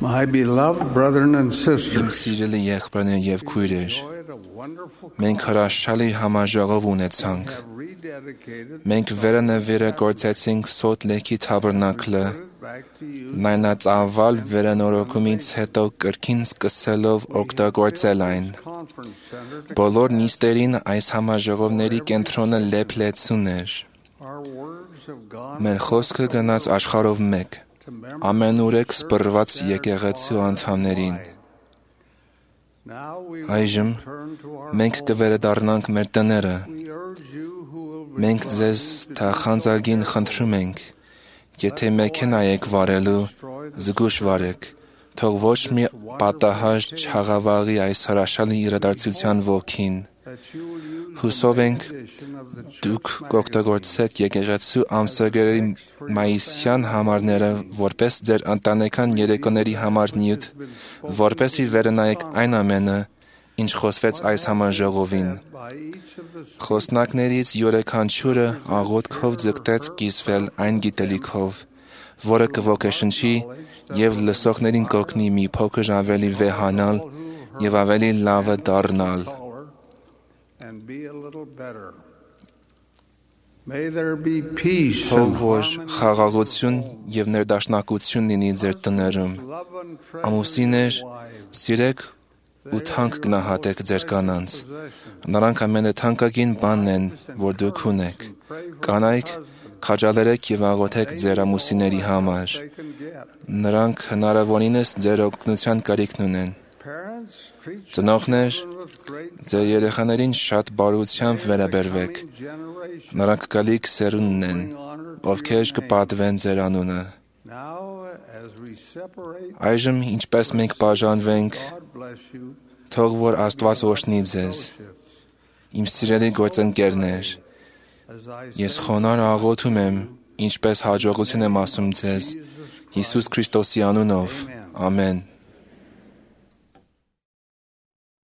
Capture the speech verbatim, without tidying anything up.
My beloved brethren and Իմ sisters, սիրելի եղբայրներ եւ քույրեր, մենք հրաշալի համաժողով ունեցանք։ have rededicated Մենք վերանվերը գործեցինք Սոթ Լեյքի թաբերնակլը, back to you լայնածավալ վերանորոգումից հետո կրկին սկսելով օգտագործել այն։ conference center. Բոլոր նիստերին այս համաժողովների կենտրոնը լեփլեցուն էր։ Our words have gone Մեր խոսքը գնաց աշխարհով մեկ, to members. ամենուրեք սպրված եկեղեցու անդամներին։ Now we Այժմ will turn to our մենք home. կվերադառնանք մեր տները։ We urge you who will Մենք respond ձեզ to թախանձագին խնդրում ենք, եթե մեքենա եք վարելու, զգուշ վարեք, թող ոչ մի պատահար չհաղավաղի այս հրաշալի իրադարձության ոգին։ that you will use Հուսով ենք edition of the դուք church կօգտագործեք եկեղեցու ամսագրերի մայիսյան համարները որպես ձեր ընտանեկան երեկոների համար նյութ, որպեսզի վերնայեք այն ամենը, ինչ խոսվեց այս համաժողովին։ by each of the Խոսնակներից յուրաքանչյուրը աղոթքով ձգտեց կիսվել այն գիտելիքով, որը կոգեշնչի եւ լսողներին կօգնի մի փոքր ավելի վեհանալ եւ ավելի լավը դառնալ։ color and be a little better. May there be peace Թող and որ harmony. խաղաղություն եւ ներդաշնակություն լինի ձեր տներում։ Love and treasure Ամուսիններ, your wives. սիրեք ու թանկ գնահատեք ձեր կանանց։ Possession. Նրանք ամենաթանկագին բանն են, որ դուք ունեք։ Կանայք, քաջալերեք եւ աղոթեք ձեր ամուսինների համար։ They can get. Նրանք հնարավորինս ձեր օգնության կարիքն ունեն։ Parents, treat your Ծնողներ, children with great ձեր երեխաներին շատ բարությամբ վերաբերվեք։ coming generation. Նրանք գալիք սերունդն են, Bring honor to ովքեր your name. կպատվեն ձեր անունը։ Now, as we separate, Այժմ ինչպես մենք բաժանվենք, God bless you. թող որ Աստված օրհնի ձեզ։ Fellowships. Իմ սիրելի գործընկերներ, As I ես say, խոնարհ աղոթում եմ, ինչպես հաջողություն եմ ասում ձեզ, Հիսուս Քրիստոսի անունով։ Ամեն։